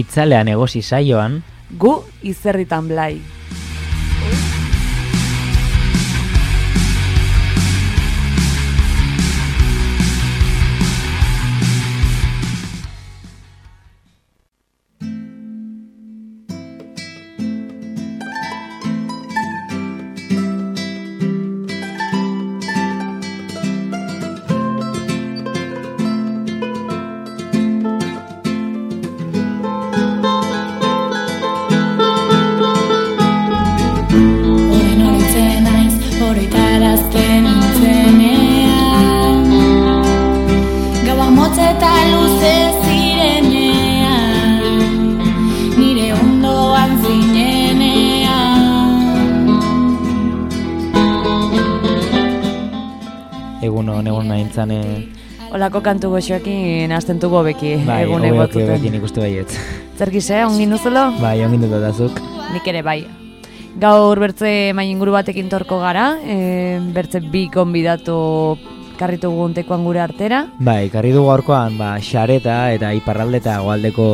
Itzalean egosi saioan, gu izerritan blai. Olako kantu goxoekin hasten dugu beki egun egotuten. Bai, bekin ikuste baiet. Zer gize, ongin duzelo? Bai, ongin dut dazuk. Nik ere bai. Gaur bertze mai inguru batekin torko gara, bertze bi konbidatu karritu guntekoan gure artera. Bai, karri dugu gaurkoan, xareta eta iparralde eta goaldeko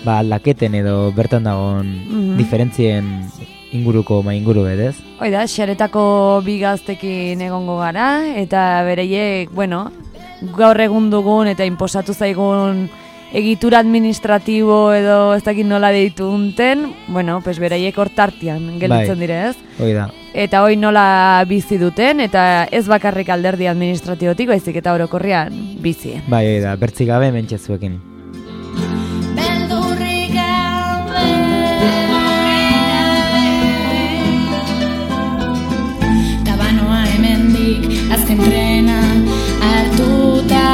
aldaketen edo bertan dagoen diferentzien inguruko mai inguru bedez. Oida, xaretako bi gaztekin egongo gara, eta bereiek, gaur egun dugun eta inposatu zaigun egitura administratibo edo ez dakit nola deitu unten, bereiek hor tartian gelditzen dire, ez? Oida. Eta hoi nola bizi duten, eta ez bakarrik alderdi administratibotik, baizik eta orokorrian bizi. Bai, oida, bertzik gabe mentxezuekin. Tabanoa hemendik azken trena hartuta,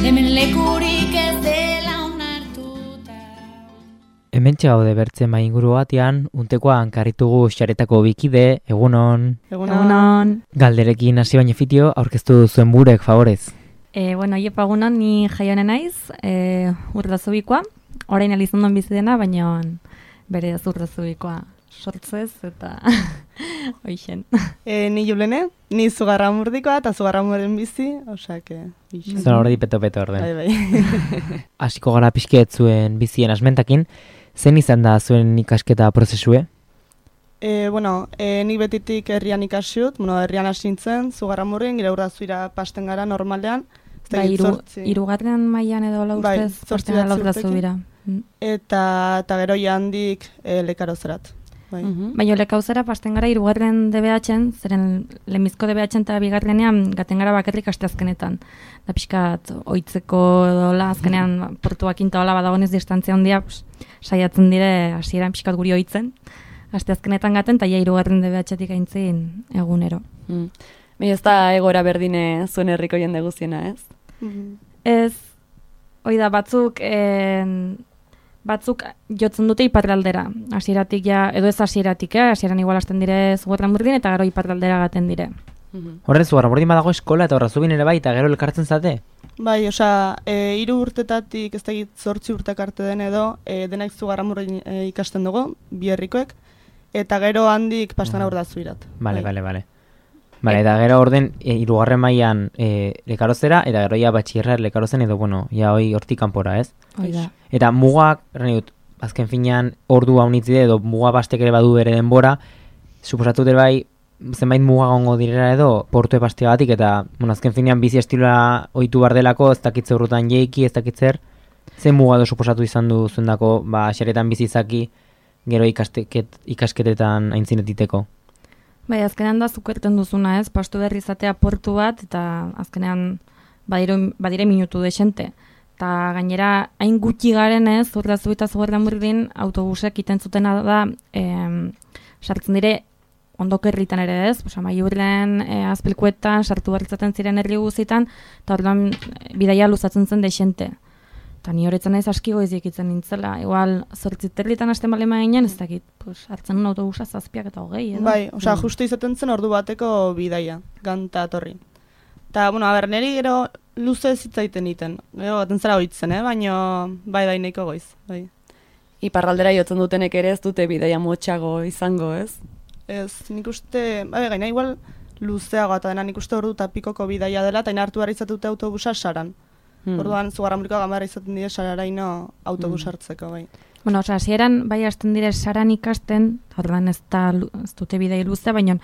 hemen lekurik ez dela onartuta. Hementxe gaude bertze mai inguru batean, untekoan karritugu xaretako bikide, egunon. Egunon. Galderekin hasi baino fitio, aurkeztu zuen burek, favorez. Iepa egunon, ni Jaione naiz, Urdazubikoa. Orain Elizondon bizi dena, baina bere Urdazubikoa sortzez eta hoixen. Ni Julene, ni Zugarramurdikoa eta Zugarramuren bizi, osake. Zona hori peto-peto orden. Bai. Hasiko gara pixket zuen bizien asmentakin, zen izan da zuen ikasketa prozesue? Nik betitik herrian ikasiut, herrian hasi nintzen, Zugarramurrin, gire Urdazuira pasten gara normalean. Hirugarren mailan edo laustez pasten gara Urdazubira. Eta gero handik lekarozerat. Baina lekauzera pasten gara hirugarren DBH-en, zeren lehenbizko DBH-en eta bigarrenean gaten gara bakarrik asteazkenetan. Da pixkat oitzeko edola, azkenean portuak intaola badagonez distantzia handia, saiatzen dire hasieran pixkat guri oitzen. Asteazkenetan gaten, eta hirugarren DBH-etik aintzin egunero. Baina ez da egoera berdine zuen herriko jende guziena, ez? Ez, oida batzuk jotzen dute iparraldera. Hasieratik edo ez hasieratik, hasieran igual hasten dire Zugarramurdin eta gero iparraldera gaten dire. Horren Zugarramurdin badago eskola eta Urdazubin ere bai, eta gero elkartzen zate? Bai, 3 urtetatik ez dakit 8 urtek arte den edo, denak Zugarramurdin ikasten dugu, bi herrikoek, eta gero handik pasten Urdazuirat. Bale. Bale, eta gero orden, hirugarren mailan lekarozera, eta gero batxierra lekarozen edo, hoi hortik kanpora, ez? Oida. Eta mugak, azken finean, ordu haunitzide edo muga bastek ere badu bere denbora, suposatu dira bai, zenbait muga gongo direra edo, portu epastea batik, eta azken finean bizi estiloa ohitu bardelako, ez dakitze urrutan jeiki, ez dakitzer, zen muga edo suposatu izan du zuendako, xaretan bizizaki, gero ikasketetan aintzinetiteko. Bai, azkenean da zukerten duzuna, ez? Pastu berri izatea portu bat, eta azkenean badire minutu desente. Eta gainera, hain gutxi garen ez, Urdazu eta Zugarramurdin autobusek iten zutena da, sartzen dire ondoko herritan ere ez, Amaiurren, Azpilkuetan, sartu barritzaten ziren herri guzitan, eta orduan bidaia luzatzen zen desente. Eta ni horretzen naiz aski goizik itzen nintzela. Igual, 8 herritan hasten balema ginen, ez dakit, hartzen un autobusa 7 eta 20, edo? Bai, justu izaten zen ordu bateko bidaia, ganta torri. Eta, neri gero luze zitzaiten iten. Gero, baten zara hoitzen, baina bai daineko goiz. Bai. Iparraldera jotzen dutenek ere ez dute bidaia motxago izango, ez? Ez, nik uste, gaina igual luzeagoa, eta dena nik uste ordu eta pikoko bidaia dela, eta hartu behar izatute autobusa saran. Orduan, Zugarramuriko Ganbarra izaten dire Sararaino autobus hartzeko, bai. Bueno, osea, hasieran bai hasten dire saran ikasten, orduan ez dute bidei luze, baina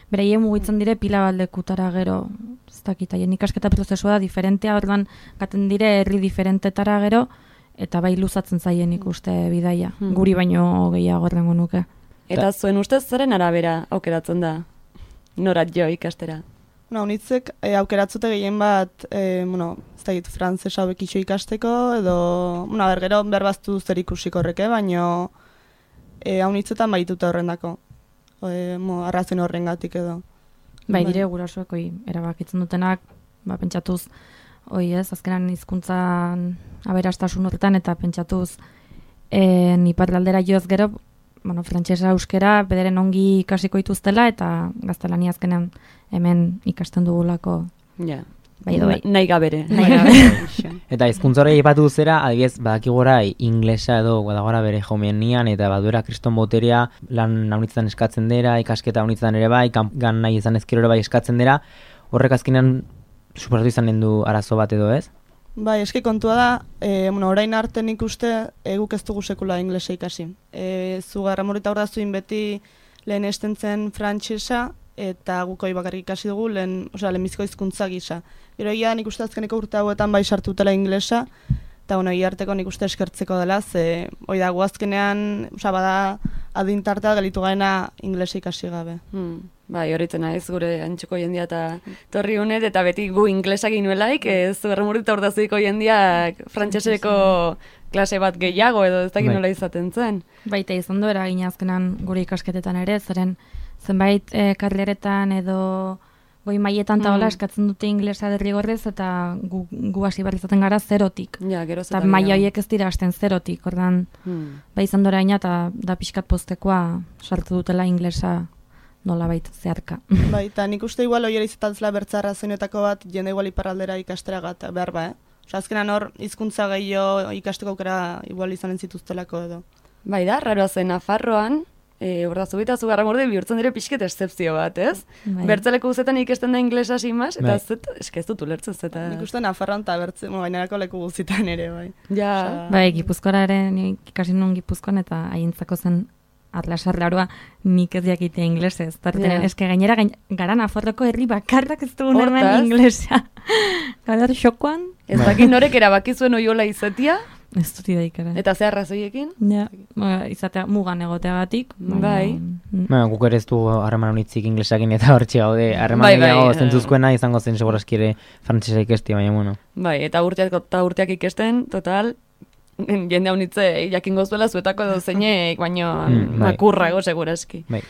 beraien mugitzen dire pila baldekutara gero, ez dakit, haien ikasketa prozesua da diferentea, orduan gaten dire herri diferentetara gero, eta bai luzatzen zaien ikuste bidaia, guri baino gehiago errengo nuke. Eta zuen ustez zeren arabera aukeratzen da? Norat jo ikastera? Unitzek aukeratzute gehien bat, ez da frantzesa bekitxo ikasteko, edo, gero berbaztu zer ikusiko horreke, baino haunitzetan baituta horrendako, arrazen horrengatik edo. Bai, dire gurasoek erabakitzen dutenak, pentsatuz, azkenan hizkuntzan aberastasun horretan, eta pentsatuz iparraldera joz gero, frantsesa euskera bederen ongi ikasiko dituztela, eta gaztelania azkenan hemen ikasten dugulako. Ja. Bai, nahi gabere. Eta hizkuntza hori aipatu zera, adibidez, badakigora inglesa edo badagora bere jomenian, eta baduera kriston boterea, lan haunitzetan eskatzen dira, ikasketa haunitzetan ere bai, gan nahi izan ezkero ere bai eskatzen dira, horrek azkenean suposatu izanen du arazo bat edo ez? Bai, eski kontua da, orain arte nik uste guk ez dugu sekula inglesa ikasi. Zugarramurita hor da zuin beti lehen estentzen frantsesa, eta guk hori bakarrik ikasi dugu lehenbiziko hizkuntza gisa. Gero egia nik uste azkeneko urte hauetan bai sartutela inglesa, eta egia arteko nik uste eskertzeko dela, ze hori da guazkenean, bada adintartea gelitu gaena inglesa ikasi gabe. Bai, horretzen naiz gure antxuko jendia eta torri honet, eta beti gu inglesak inuelaik, Zugarramurita hor da zuiko jendiak frantseseko klase bat gehiago edo ez dakit nola izaten zen. Baita izan du eragin azkenan gure ikasketetan ere, zeren zenbait karleretan edo goi mailetan eta hola eskatzen dute inglesa derrigorrez, eta gu hasi behar izaten gara zerotik. Ja, geroz eta maila horiek ez dira hasten zerotik, ordan bai izan dora ina, eta da pixkat postekoa sartu dutela inglesa nola baita zeharka. Bai, eta nik uste igual hori izatantzela bertzarra zenetako bat, jende igual iparraldera ikastera behar ba, azkenan hor, hizkuntza gehiago ikasteko aukera igual izanen zituztelako edo. Bai da, raroa zen Nafarroan, Ordazubita Zugarramurde bihurtzen dire pixket excepzio bat, ez? Bai. Bertzeleko guzetan ikesten da inglesa simaz, eta ez dut ulertzen zeta. Nik uste Nafarroan eta bainerako leku guzitan ere, bai. Ja. Bai, Gipuzkoara ere, ikasi nuen Gipuzkoan, eta haientzako zen atlasarlarua nik ez jakite inglesez. Tartenen, eske gainera gara Nafarroko herri bakarrak ez dugun hemen inglesa. Gara xokoan. Ez dakit norek erabaki zuen oiola izatia. Ez dut idaikara. Eta ze arrazoiekin? Ja, izatea mugan egoteagatik. Bai. Guk ere ez du harreman honitzik inglesakin eta hortxe gaude. Harreman gehiago zentzuzkoena izango zen segurazki ere frantsesa ikesti, baina bueno. Bai, eta urteak ikesten, total, jende honitze jakingo zuela zuetako edo zeinek, baino makurrago segurazki. Bai.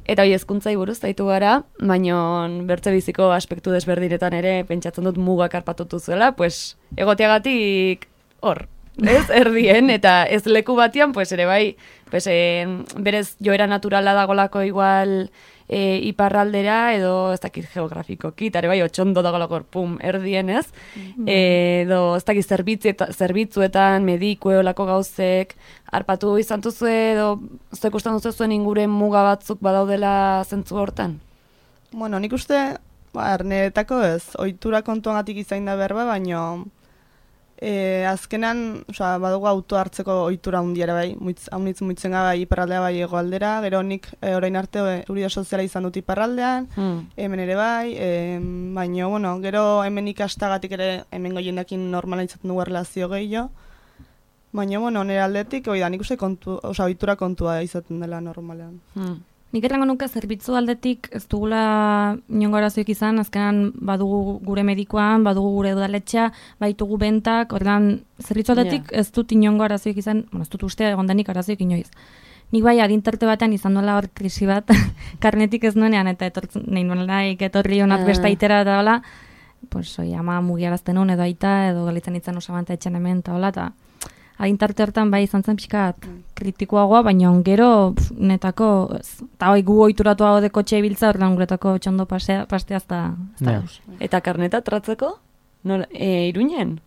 Eta hori hezkuntzai buruz daitu gara, baino bertze biziko aspektu desberdinetan ere pentsatzen dut mugak arpatutu zuela, pues egoteagatik hor. Ez, erdien, eta ez leku batian, pues ere bai, pues, berez joera naturala dagolako igual iparraldera, edo ez dakit geografikoki, eta ere bai, otxondo dagolako erdien ez, edo ez dakit zerbitzuetan, medikue olako gauzek, arpatu izan duzu edo zuek ustean duzu zuen inguren muga batzuk badaudela zentzu hortan? Bueno, nik uste, arneetako ez, ohitura kontuagatik izain da berba, baino azkenan, badugu auto hartzeko ohitura hundiara bai, haunitz muitzen gara iparraldea bai egoaldera, gero nik orain arte seguridade soziala izan dut iparraldean, hemen ere bai, baina, bueno, gero hemen ikastagatik ere hemen goiendakin normala izaten dugu relazio gehiago, baina, bueno, nire aldetik, nik uste ohitura kontua izaten dela normalean. Nik errango nuke zerbitzu aldetik ez dugula inongo arazoik izan, azkenan badugu gure medikoan, badugu gure udaletxea, baitugu bentak, ordan zerbitzu aldetik ez dut inongo arazoik izan, ez dut uste egondanik arazoik inoiz. Nik bai adintarte batean izan dola hor krisi bat, karnetik ez nuenean, eta nahi nuelaik etorri honat bestaitera eta hola, pues ama mugiarazten hon edo aita, edo galitzen itzen osabanta etxen hemen eta hola, eta adintarte hortan bai izan zen pixkat kritikoagoa, baina gero netako, eta gu ohituratu hau deko txe ibiltza, ordan guretako txondo pasteaz da. Eta karneta tratzeko? Iruinen?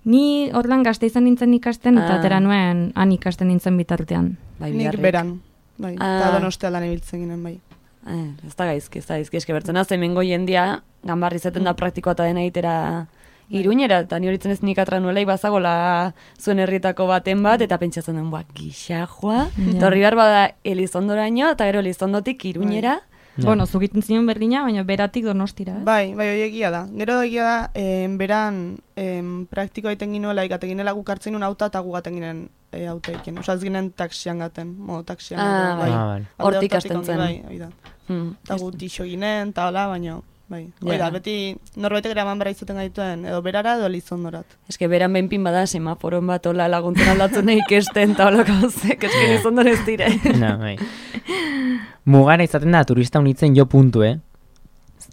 Ni ordan gazte izan nintzen ikasten, eta atera nuen han ikasten nintzen bitartean. Nik beran, eta Donostia lan ibiltzen ginen bai. Ez da gaizki, eske bertzen az, hemengo jendia, ganbarri zeten da praktikoa eta dena egitera Iruñera, eta ni horitzen ez nik atranuelei bazagola zuen herritako baten bat, eta pentsatzen duen, gixajoa, eta horri behar bada Elizondoraino, eta gero Elizondotik Iruñera. Bueno, zugiten zion berdina, baina beratik Donostira, Bai, hori egia da. Gero egia da, beran praktikoa egiten ginuela, ikaten ginela guk hartzen ginen auta, eta gu gaten ginen auta iken. Osa ez ginen taxian gaten, taxian. Bai. Hortik hasten zen. Bai, hori da. Eta gu tixo ginen, eta hola, baina... Bai, da, beti norbaitek eraman bera izaten gaituen, edo berara edo Elizondorat. Eske beran behinpin bada semaforon bat hola laguntzen aldatzen ikesten eta hola gauzek, eske Elizondor ez dire. Bai. Mugara izaten da turista unitzen jo puntu,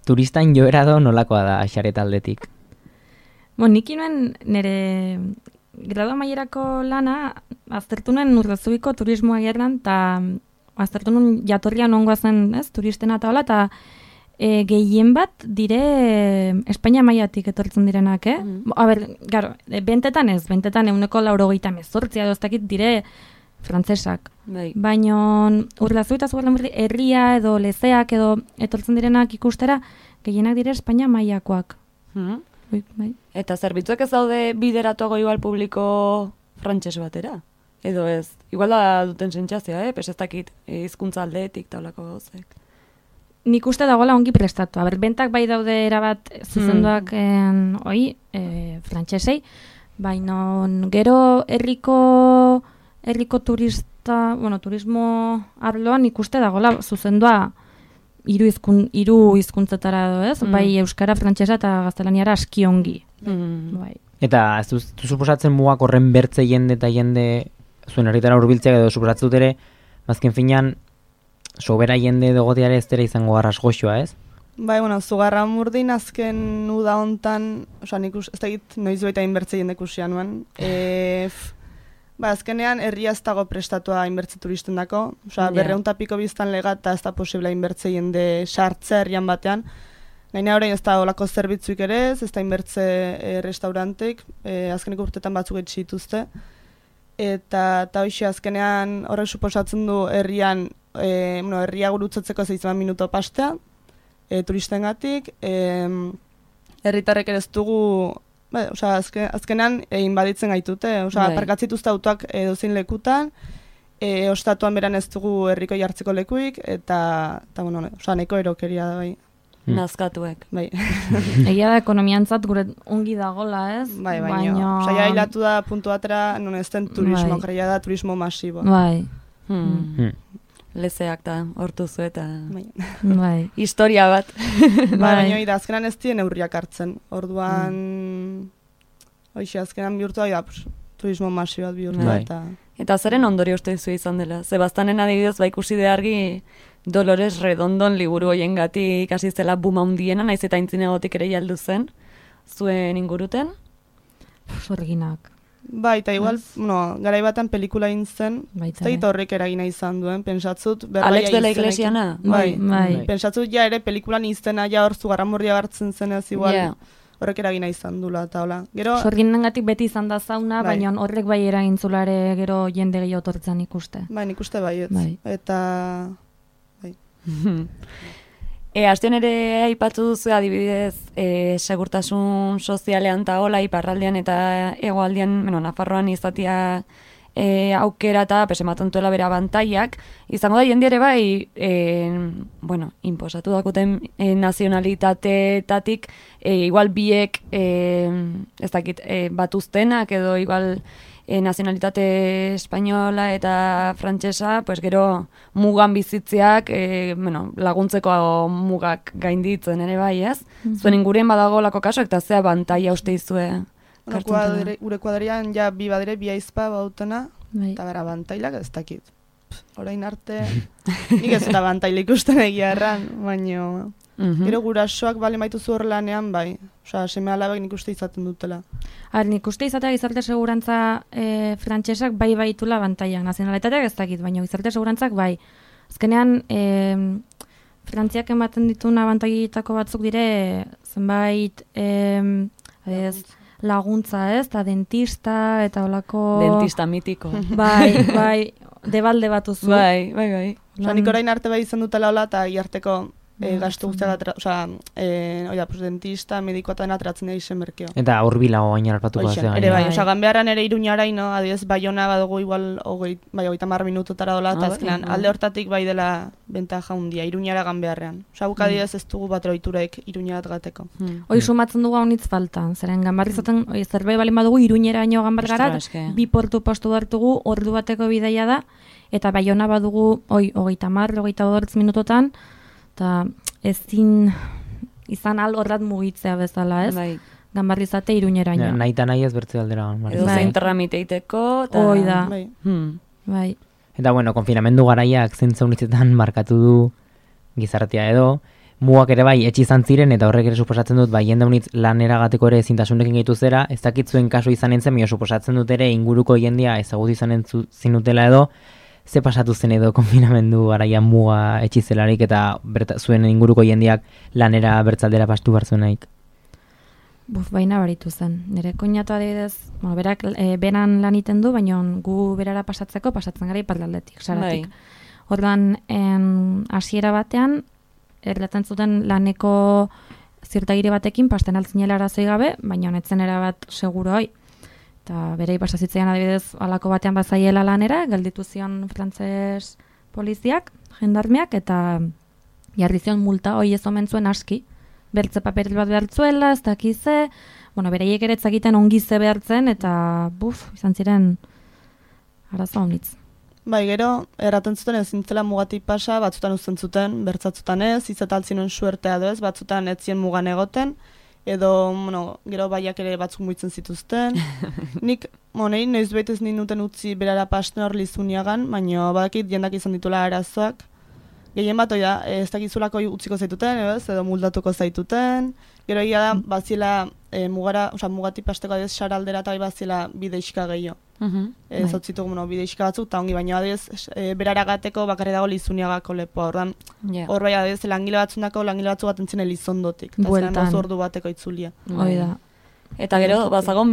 Turistain joera do nolakoa da Axaret aldetik. Nik nuen nire gradu amaierako lana aztertu nuen Urdazubiko turismoa gerran, eta aztertu nuen jatorria nongoa zen, turistena eta hola, eta gehien bat dire Espainia mailatik etortzen direnak, A ber, garo, bentetan 98 edo ez dakit dire frantzesak. Bai. Baina Urdazu eta Zugarramurdi herria edo lezeak edo etortzen direnak ikustera gehienak dire Espainia mailakoak. Bai. Eta zerbitzuek ez daude bideratuago igual publiko frantses batera? Edo ez? Igual da duten sentsazioa, Pes ez dakit hizkuntza aldetik taulako gauzek. Nik uste dagoela ongi prestatu. Bentak bai daude erabat zuzenduak frantsesei, baina gero herriko turismo arloan nik uste dagoela zuzendua hiru hizkuntzetara edo, ez? Bai euskara, frantsesa eta gaztelaniara aski ongi. Bai. Eta ez du suposatzen mugak horren bertze jende eta jende zuen herritara hurbiltzeak edo suposatzen dut ere, azken finean sobera jende dogoteare ez dira izango arras goxoa, ez? Bai, Zugarramurdin azken uda hontan, oza, nik ez dakit noiz baita inbertze jende ikusia nuen. Azkenean herria ez dago prestatua inbertze turisten dako, oza, 200 piko biztan lega eta ez da posible inbertze jende sartze herrian batean. Gaina orain ez da olako zerbitzuik ere ez da inbertze restauranteik, azkeneko urtetan batzuk dituzte. Eta hoxe azkenean horrek suposatzen du herrian, herria gurutzatzeko 6 minuto pastea, turistengatik, herritarrek ere ez dugu, azkenean inbaditzen gaitute, parkatzituzte autoak edozein lekutan, ostatuan beran ez dugu herriko jartzeko lekuik, eta neko erokeria da bai. Nazkatuek. Bai. Egia da ekonomiantzat gure ongi dagola, ez? Bai, baina saia hilatu da puntu batera, non ez den turismo, kreia da turismo masibo. Bai. Lezeak da, hortuzu eta Bai. Historia bat. Baina azkenan ez dien neurriak hartzen. Orduan, azkenan bihurtu da, turismo masibo bat bihurtu da. Eta zeren ondorio uste dizu izan dela? Zebaztanen adibidez, ikusi deargi Dolores Redondon liburu hoiengatik hasi zela buma hundiena, naiz eta intzinegotik ere jaldu zen, zuen inguruten? Zorginak. Bai, eta igual, garai batan pelikula egin zen, ez da horrek eragina izan duen, pentsatzut... Alex de la Iglesiana? Bai. Pentsatzut ja ere pelikulan iztena ja hor Zugarramurdia hartzen zenez igual... Horrek eragina izan dula, eta hola. Sorginengatik beti izan da zauna, baina horrek bai eragintzulare gero jende gehiago tortzen ikuste. Bai, ikuste bai, eta... Azten ere aipatu duzu adibidez segurtasun sozialean eta hola iparraldean eta hegoaldean, Nafarroan izatea aukera eta ematen duela bera bantaiak, izango da jende ere bai inposatu dakuten nazionalitateetatik igual biek ez dakit batuztenak edo igual nazionalitate espainola eta frantsesa, gero mugan bizitzeak laguntzeko mugak gainditzen ere bai, ez? Zuen ingurien badago lako kaso, eta zea bantaia uste izue? Gure kuadrian ja bi badire, bi aizpa bautena, eta bera bantailak ez dakit. Orain arte, nik ez eta bantaila ikusten egia erran, baina... Gero gurasoak bale maituzu horrelanean, bai. Seme alabek nik uste izaten dutela. Nik uste izatea gizarte segurantza frantsesak bai baitula bantaiak. Nazionalitateak ez dakit, baina gizarte segurantzak bai. Azkenean, Frantziak ematen dituna bantaietako batzuk dire, zenbait laguntza, ez? Eta dentista, eta holako... Dentista mitiko. Bai, debalde batuzu. Bai. Nik orain arte bai izan dutela hola, eta iarteko gastu guztiak pues dentista, medikoa eta atratzen da izen merkeo. Eta hurbilago gaina arpatuko Hoxe, da. ere bai, Ganbearran ere Iruñaraino, adibidez Baiona badugu igual 30 minututara dola, eta azkenan alde hortatik bai dela bentaja handia, Iruñara Ganbearrean. Guk adibidez ez dugu bat ohiturek Iruñarat gateko. Hoi sumatzen dugu haunitz falta, zeren Ganbarrizaten zerbait balin badugu Iruñeraino Ganbar gara, 2 portu postu hartugu, ordu bateko bidaia da, eta Baiona badugu 30-28 minutotan, eta ezin izan horrat mugitzea bezala, ez? Bai. Ganbarrizate Iruñeraino. Nahi eta nahi ez bertze aldera Ganbarri. Edo zein tramiteiteko. Hoi da. Bai. Eta bueno, konfinamendu garaiak zentza unitzetan markatu du gizartea edo, mugak ere bai etxe izan ziren, eta horrek ere suposatzen dut, bai jende unitz lanera gateko ere ezintasunekin gehitu zera, ez dakit zuen kasu izan entzen, suposatzen dut ere inguruko jendia ezagut izan zinutela edo, ze pasatu zen edo konfinamendu garaian muga etxizelarik eta zuen inguruko jendiak lanera bertzaldera pastu barzuenaik? Baina baritu zen. Nire koinatu adibidez, berak beran lan iten du, baina gu berara pasatzen gara iparraldetik, saratik. Orduan, hasiera batean, erlatzen zuten laneko zirtagire batekin pasten altzinela arazoi gabe, baina honetzen erabat seguro hoi. Eta berei pasazitzean adibidez alako batean bazaiela lanera, gelditu zion frantses poliziak, jendarmeak, eta jarri zion multa hoi ez omen zuen aski. Bertze paperil bat behartzuela, ez dakize, bereiek ere etzakiten ongize behartzen, eta izan ziren arazo honitz. Bai, gero, erraten zuten ez zintzela mugatik pasa, batzutan uzten zuten, bertzatzutan ez, izataltzinen suertea edo ez, batzutan etzien mugan egoten, edo, gero baiak ere batzuk muitzen zituzten. Nik, noiz baitez ninduten utzi berara pasten hor lizuniagan, baina badakit jendak izan ditula arazoak. Gehien bat, ez dakizulako utziko zaituten, edo muldatuko zaituten. Gero egia da, bazila mugatik pasteko adez saraldera eta bazila bideixka gehiago. Ez hotzitu bideixka batzuk, eta ongi baina adez berara gateko bakarri dago lizuniagako lepoa. Hor bai adez langile batzundako langile batzu bat entzien elizondotik. Bueltan. Ordu bateko itzulia. Hoi da. Eta gero, bazago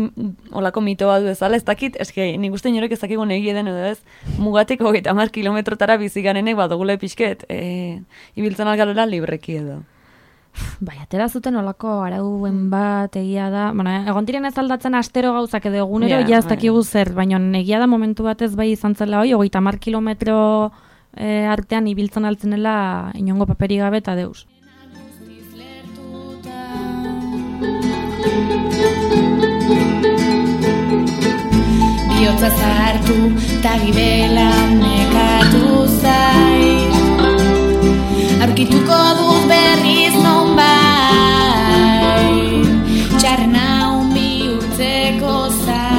olako mito bat bezala, ez dakit, eske nik uste inorek ez dakigun egie den edo ez, mugatik 30 kilometrotara biziganenek badugule pixket, ibiltzen algarela libreki edo. Bai, atera zuten olako arauen bat egia da, egon diren ez aldatzen astero gauzak edo egunero, ez dakigu zer, baina egia da momentu batez bai izan zela hoi, 30 kilometro artean ibiltzen altzenela inongo paperi gabe eta deus. Biotza zartu, ta gibela nekatu zait. Aurkituko dut berriz non bai, txarrena bihurtzeko zait.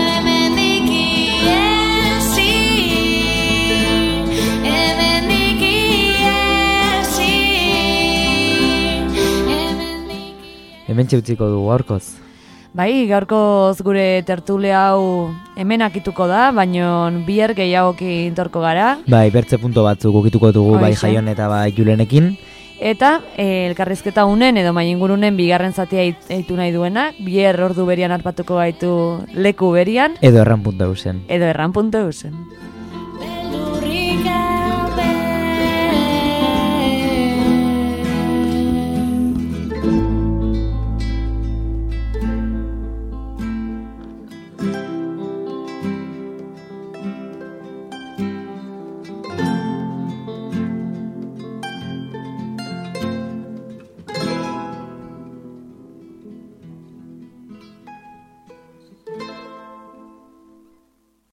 Hemendik iesi, hemendik iesi, Hemen txeutziko du gaurkoz. Bai, gaurkoz gure tertule hau hemen akituko da, baino bihar gehiagoki intorko gara. Bai, bertze punto batzuk ukituko dugu bai Jaion eta bai Julenekin. Eta elkarrizketa unen edo mainingurunen bigarren zatia eitu nahi duenak, bihar ordu berian arpatuko gaitu leku berian. Edo erran.eusen. Edo erran.eusen.